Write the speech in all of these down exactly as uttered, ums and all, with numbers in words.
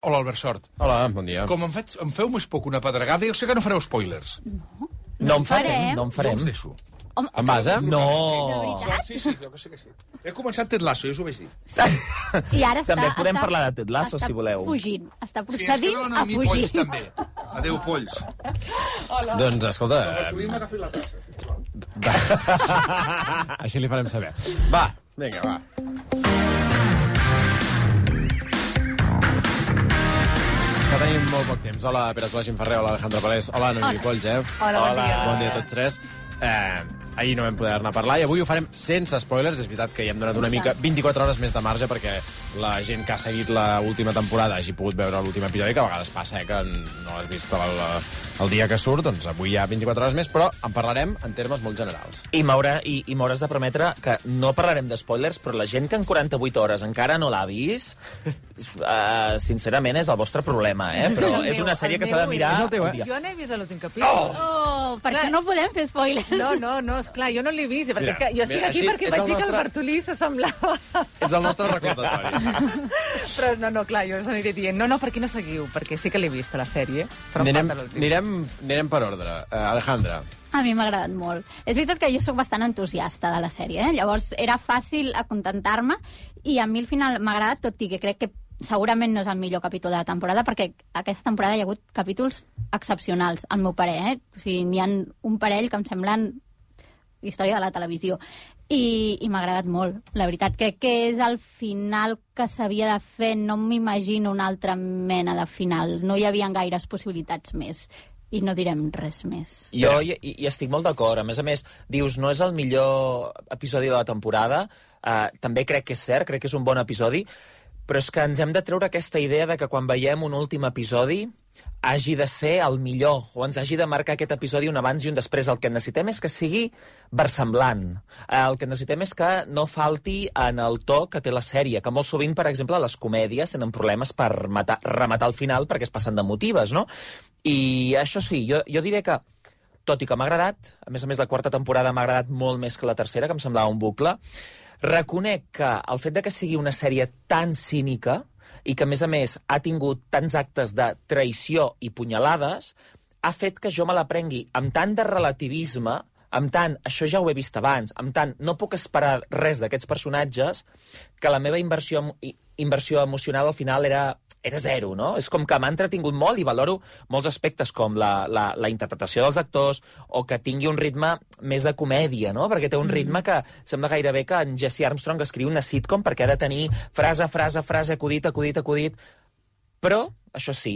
Hola, Albert Sort. Hola, bon dia. Com em, fet, em feu més poc una pedregada, jo sé que no fareu spoilers. No, no en farem, no en Jo farem. els deixo. Home, En base? No. de veritat? Sí, sí, jo que sé que sí. He començat Ted Lasso, ja us ho vaig dir. I ara està, També podem està, parlar de Ted Lasso, està si voleu. fugint, està Sí, ens procedint queden a a mi polls, fugir. també. Adéu, polls. Doncs, escolta... Tu m'ha agafat la tassa. Així li farem saber. Va, vinga, va. Que tenim molt poc temps. Hola, Pere Solà, Gim Ferrer, hola, Alejandro Palés, hola, Noemi Polls, eh? Hola, bon dia. Bon dia a tots tres. Eh, ahir no vam poder anar a parlar i avui ho farem sense spoilers. És veritat que hi hem donat una mica vint-i-quatre hores més de marge perquè la gent que ha seguit l'última temporada hagi pogut veure l'últim episodi, que a vegades passa, eh, que no l'has vist el, el dia que surt, doncs avui hi ha vint-i-quatre hores més, però en parlarem en termes molt generals. I m'haurà i, i m'hauràs de prometre que no parlarem de spoilers, però la gent que en quaranta-vuit hores encara no l'ha vist, uh, sincerament és el vostre problema, eh? Però El és meu, una sèrie el que s'ha de meu, mirar... és el teu, eh? un dia. Jo n'he vist l'últim capítol. Oh, per Clar. això no podem fer spoilers. No, no, no, esclar, jo no l'he vist, perquè Mira, és que jo estic mira, aquí així perquè ets vaig el dir que el nostre- Bartolí s'assemblava. Ets el nostre recordatori. Però no, no, clar, jo us aniré dient, no, no, per què no seguiu? Perquè sí que l'he vist, a la sèrie, però em Anirem, falta l'últim. anirem, anirem per ordre. Uh, Alejandra. A mi m'ha agradat molt. És veritat que jo sóc bastant entusiasta de la sèrie, eh? Llavors era fàcil acontentar-me i a mi al final m'ha agradat, tot i que crec que segurament no és el millor capítol de la temporada, perquè aquesta temporada hi ha hagut capítols excepcionals, al meu parer, eh? O sigui, n'hi ha un parell que em semblen història de la televisió. I, i m'ha agradat molt. La veritat, crec que és el final que s'havia de fer. No m'imagino una altra mena de final. No hi havia gaires possibilitats més. I no direm res més. Jo hi, hi estic molt d'acord. A més a més, dius, no és el millor episodi de la temporada. Uh, també crec que és cert, crec que és un bon episodi, però és que ens hem de treure aquesta idea de que quan veiem un últim episodi hagi de ser el millor, o ens hagi de marcar aquest episodi un abans i un després. El que necessitem és que sigui versemblant. El que necessitem és que no falti en el to que té la sèrie, que molt sovint, per exemple, les comèdies tenen problemes per matar, rematar al final perquè es passen de motives, no? I això sí, jo, jo diré que, tot i que m'ha agradat, a més a més la quarta temporada m'ha agradat molt més que la tercera, que em semblava un bucle, reconec que el fet de que sigui una sèrie tan cínica i que, a més a més, ha tingut tants actes de traïció i punyalades, ha fet que jo me la prengui amb tant de relativisme, amb tant, això ja ho he vist abans, amb tant, no puc esperar res d'aquests personatges, que la meva inversió, inversió emocional al final era... era zero, no? És com que m'ha entretingut molt i valoro molts aspectes com la, la, la interpretació dels actors o que tingui un ritme més de comèdia, no? Perquè té un ritme que sembla gairebé que en Jesse Armstrong escriu una sitcom perquè ha de tenir frase, frase, frase, acudit, acudit, acudit. Però, això sí,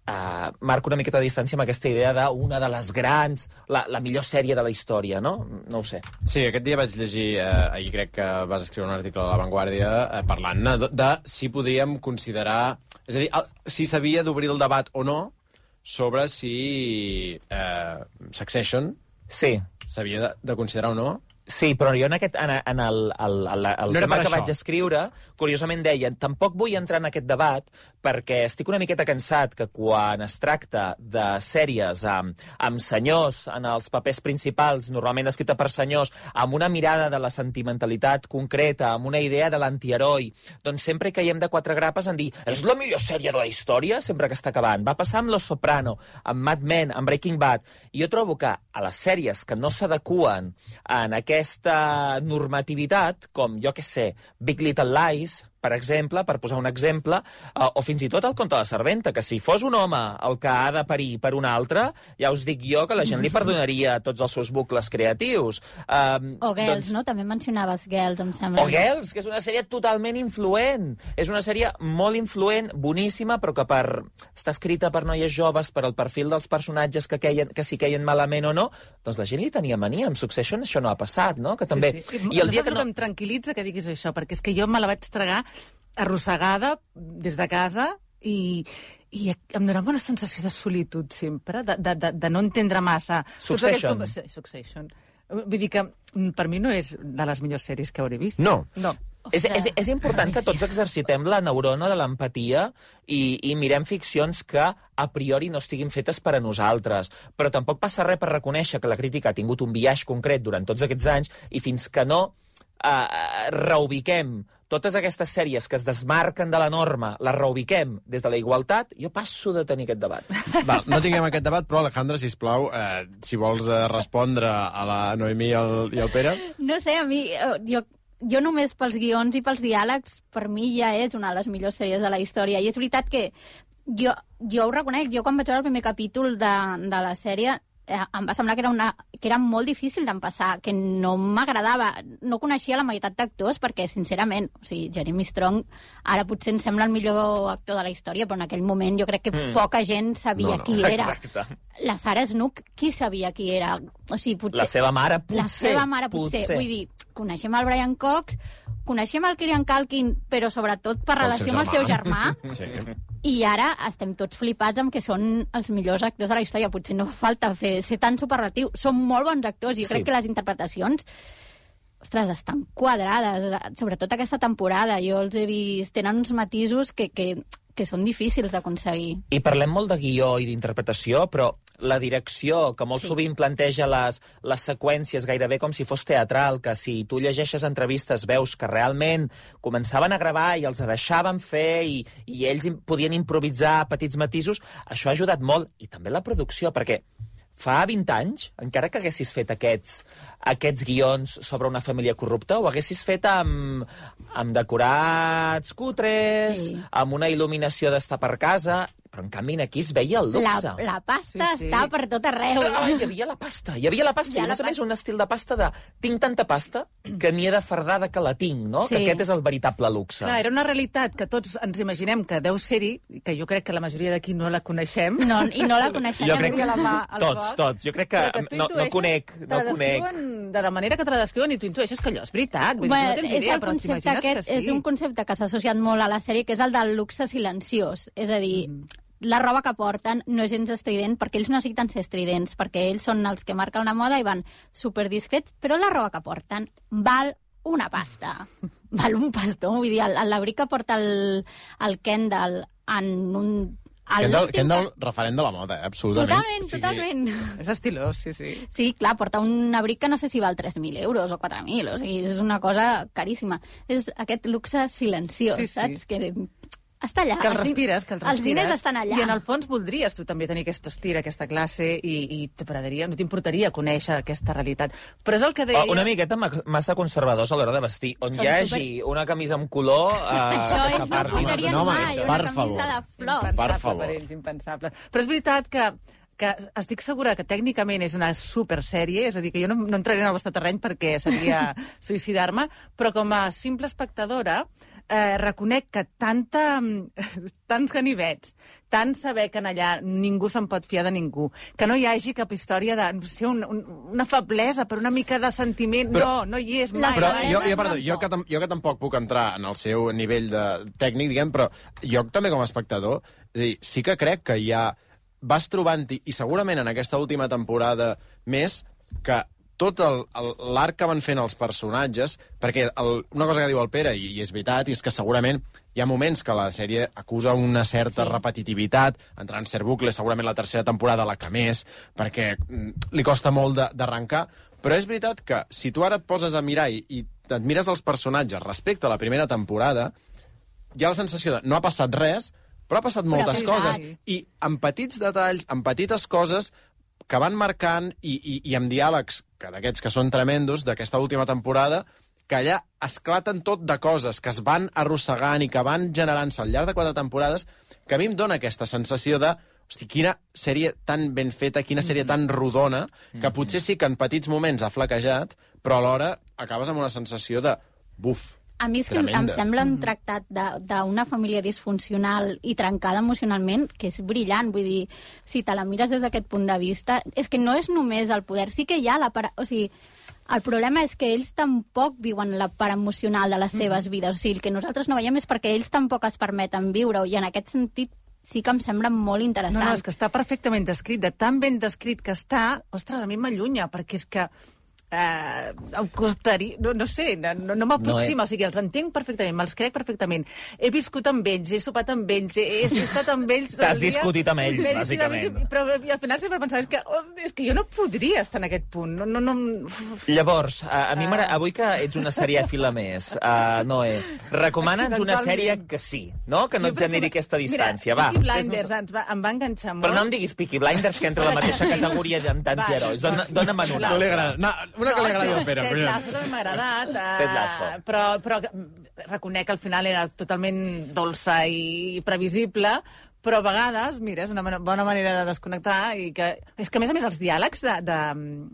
uh, marco una miqueta de distància amb aquesta idea d'una de les grans, la, la millor sèrie de la història, no? No ho sé. Sí, aquest dia vaig llegir, eh, ahir crec que vas escriure un article a La Vanguardia eh, parlant de, de si podríem considerar... És a dir, el, si s'havia d'obrir el debat o no sobre si eh, Succession Sí. s'havia de, de considerar o no. Sí, però jo en, aquest, en, en el, el, el, el No era tema per que això. vaig escriure, curiosament deia, tampoc vull entrar en aquest debat perquè estic una miqueta cansat que quan es tracta de sèries amb, amb senyors en els papers principals, normalment escrita per senyors, amb una mirada de la sentimentalitat concreta, amb una idea de l'antiheroi, doncs sempre hi caiem de quatre grapes en dir és la millor sèrie de la història sempre que està acabant. Va passar amb Los Soprano, amb Mad Men, amb Breaking Bad, i jo trobo que a les sèries que no s'adeqüen en aquest aquesta normativitat, com, jo què sé, Big Little Lies, per exemple, per posar un exemple, eh, o fins i tot el conte de la serventa, que si fos un home el que ha de parir per un altre, ja us dic jo que la gent li perdonaria tots els seus bucles creatius. Um, O Girls, doncs... no? També mencionaves Girls, em sembla. O Girls, que és una sèrie totalment influent. És una sèrie molt influent, boníssima, però que per... està escrita per noies joves, per al perfil dels personatges que, queien, que si queien malament o no, doncs la gent li tenia mania. Amb Succession això no ha passat, no? Que també... Sí, sí. I el dia que no... em tranquil·litza que diguis això, perquè és que jo me la vaig tragar arrossegada des de casa i, i em donava una sensació de solitud sempre, de, de, de, de no entendre massa. Succession. Tots aquests... Succession. Vull dir que per mi no és de les millors sèries que hauré vist. No. No. És, és, és important que tots exercitem la neurona de l'empatia i, i mirem ficcions que a priori no estiguin fetes per a nosaltres. Però tampoc passa res per reconèixer que la crítica ha tingut un biaix concret durant tots aquests anys i fins que no eh, reubiquem totes aquestes sèries que es desmarquen de la norma les reubiquem des de la igualtat, jo passo de tenir aquest debat. Val, no tinguem aquest debat, però Alejandra, sisplau, eh, si vols eh, respondre a la Noemí i el, i el Pere. No sé, a mi, eh, jo, jo només pels guions i pels diàlegs, per mi ja és una de les millors sèries de la història. I és veritat que jo, jo ho reconec, jo quan vaig veure el primer capítol de, de la sèrie, eh, em va semblar que era, una, que era molt difícil d'empassar, que no m'agradava. No coneixia la meitat d'actors perquè, sincerament, o sigui, Jeremy Strong ara potser em sembla el millor actor de la història, però en aquell moment jo crec que mm. poca gent sabia no, no. qui era. Exacte. La Sarah Snook, qui sabia qui era? O sigui, potser... La seva mare, potser. La seva mare, potser. potser. Vull dir, coneixem el Brian Cox, coneixem el Kieran Culkin, però sobretot per relació amb el seu germà. Sí. I ara estem tots flipats amb que són els millors actors de la història. Potser no fa falta fer, ser tan superlatiu. Són molt bons actors i jo Sí. crec que les interpretacions, ostres, estan quadrades. Sobretot aquesta temporada. Jo els he vist... Tenen uns matisos que, que, que són difícils d'aconseguir. I parlem molt de guió i d'interpretació, però la direcció, que molt Sí. sí. sovint planteja les, les seqüències gairebé com si fos teatral, que si tu llegeixes entrevistes veus que realment començaven a gravar i els deixaven fer i, i ells im- podien improvisar petits matisos, això ha ajudat molt. I també la producció, perquè fa vint anys, encara que haguessis fet aquests, aquests guions sobre una família corrupta, ho haguessis fet amb, amb decorats cutres, Sí. amb una il·luminació d'estar per casa, però en canvi aquí es veia el La, luxe. la pasta Sí, sí. està per tot arreu. Ah, hi havia la pasta, hi havia la pasta, Hi ha i a la més a més pasta. un estil de pasta de tinc tanta pasta que n'hi he de fardada que la tinc, no? Sí. Que aquest és el veritable luxe. Clar, era una realitat que tots ens imaginem que deu ser-hi, que jo crec que la majoria d'aquí no la coneixem. No, I no la coneixem. Jo crec que la mà al Tots, foc, tots. Jo crec que, però tu no, no intueixes, conec, te no la conec. descriuen de la manera que te la descriuen i tu intueixes que allò és veritat. Vull dir, Bueno, tu no tens és idea, el però concepte t'imagines que aquest, sí. és un concepte que s'ha associat molt a la sèrie, que és el del luxe silenciós. És a dir, Mm. la roba que porten no és gens estrident, perquè ells no necessiten ser estridents, perquè ells són els que marquen la moda i van superdiscrets, però la roba que porten val una pasta. Val un pastó. Vull dir, el- el- l'abric que porta el, el Kendall en un... el Kendall, l'últim Kendall referent de la moda, eh? absolutament. Totalment, O sigui, totalment. És estilós, sí, sí. Sí, clar, porta un abric que no sé si val tres mil euros o quatre mil, o sigui, és una cosa caríssima. És aquest luxe silenciós, Sí, sí. saps? Que està allà. Que el Els din- respires, que el respires. Els diners estan allà. I en el fons voldries tu també tenir aquest estil, aquesta classe, i, i t'agradaria, no t'importaria conèixer aquesta realitat. Però és el que deia... Oh, una miqueta ma- massa conservadors a l'hora de vestir. On Són hi hagi super- una camisa amb color... Eh, Això que ells no s'aparti. portarien no, home, mai, per una camisa favor. de flors. Per Impensable favor. per ells, impensable. Però és veritat que que estic segura que tècnicament és una supersèrie, és a dir, que jo no, no entraré en el vostre terreny perquè seria suïcidar-me, però com a simple espectadora eh, reconec que tanta, tants ganivets, tant saber que en allà ningú se'n pot fiar de ningú, que no hi hagi cap història de no sé, un, un, una feblesa per una mica de sentiment, Però- no, no hi és La mai. Però feblesa jo, jo, no perdó, jo, que, tam- jo que tampoc puc entrar en el seu nivell de tècnic, diguem, però jo també com a espectador, és a dir, sí que crec que hi ha... Vas trobant-hi, i segurament en aquesta última temporada més, que tot el- el- l'arc que van fent els personatges, perquè el, una cosa que diu el Pere, i, i és veritat, i és que segurament hi ha moments que la sèrie acusa una certa Sí. repetitivitat, entrant en cert bucle, segurament la tercera temporada la que més, perquè mm, li costa molt de- d'arrencar, però és veritat que si tu ara et poses a mirar i, i et mires els personatges respecte a la primera temporada, hi ha la sensació de no ha passat res, però ha passat moltes sí, coses. sí. I amb petits detalls, amb petites coses que van marcant i, i, i amb diàlegs que d'aquests que són tremendos d'aquesta última temporada, que allà esclaten tot de coses que es van arrossegant i que van generant-se al llarg de quatre temporades, que a mi em dóna aquesta sensació de hosti, quina sèrie tan ben feta, quina sèrie tan rodona, que potser sí que en petits moments ha flaquejat, però alhora acabes amb una sensació de buf. A mi és que em Tremenda. sembla un tractat de- d'una família disfuncional i trencada emocionalment que és brillant. Vull dir, si te la mires des d'aquest punt de vista, és que no és només el poder, sí que hi ha la part... O sigui, el problema és que ells tampoc viuen la part emocional de les seves vides. O sigui, el que nosaltres no veiem és perquè ells tampoc es permeten viure-ho, i en aquest sentit sí que em sembla molt interessant. No, no, és que està perfectament descrit, de tan ben descrit que està, ostres, a mi m'allunya, perquè és que eh, em costaria... No, no sé, no, no m'aproxima. No, eh? O sigui, els entenc perfectament, me'ls crec perfectament. He viscut amb ells, he sopat amb ells, he, he estat amb ells... T'has el dia- discutit amb ells, M'he discutit bàsicament. amb ells, però i al final sempre pensava, és que, oh, és que jo no podria estar en aquest punt. No, no, no... Llavors, a, a mi m'agrada... Avui que ets una serièfila més, uh, Noé, recomana'ns una sèrie que sí, no? Que no Jo, et per generi exemple, aquesta distància. Mira, Va, Peaky fes-nos- Blinders ens va, em va enganxar molt. Però no em diguis Peaky Blinders, que entra a la mateixa categoria d'antiherois. Dona, dona'm en una. No li agrada. No, una que li agradi al Pere. Ted primer. Lasso també m'ha agradat, eh, Ted Lasso. però, però reconec que al final era totalment dolça i previsible, però a vegades, mira, és una mana- bona manera de desconnectar i que... És que, a més a més, els diàlegs de, de,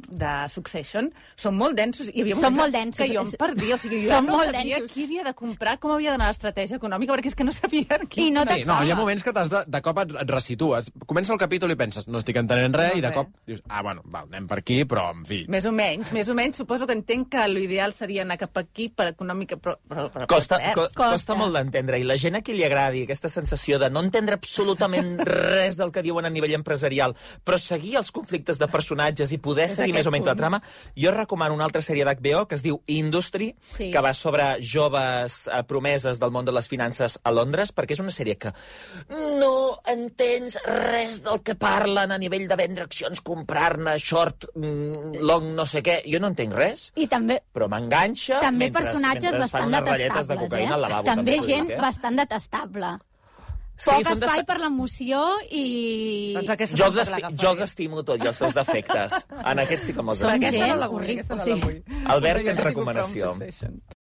de Succession són molt densos. I hi havia Són moments molt densos. que jo em perdia. O sigui, jo Són no molt sabia densos. qui havia de comprar, com havia d'anar l'estratègia econòmica, perquè és que no sabia qui... I no Sí, no, hi ha moments que t'has de, de cop et, et resitues. Comença el capítol i penses, no estic entenent res, No, i de res. cop dius, ah, bueno, val, anem per aquí, però, en fi... Més o menys, més o menys. Suposo que entenc que l'ideal seria anar cap aquí per econòmica, però... però, però Costa, però co perds. Costa. costa molt d'entendre. I la gent a qui li agradi aquesta sensació de no entendre absolutament res del que diuen a nivell empresarial, però seguir els conflictes de personatges i poder És seguir més aquest o menys la punt. trama, jo recomano una altra sèrie d'H B O que es diu Industry, Sí. que va sobre joves eh, promeses del món de les finances a Londres, perquè és una sèrie que no entens res del que parlen a nivell de vendre accions, comprar-ne, short, mm, long, no sé què. Jo no entenc res, I també però m'enganxa també mentre, personatges mentre es fan bastant unes ratlletes de detestables, cocaïna eh? al lavabo. També t'ho gent dic, eh? bastant detestable. Sí, Poc són espai desta- per l'emoció i... Doncs aquesta Jo els, tampoc esti l'agafaré. jo els estimo tot i els seus defectes. En aquests sí que me'ls Són estimo. Aquesta no gent la vull, horrible, aquesta no sí. la vull. Albert, Jo tens ja li comprava un recomanació. Succession.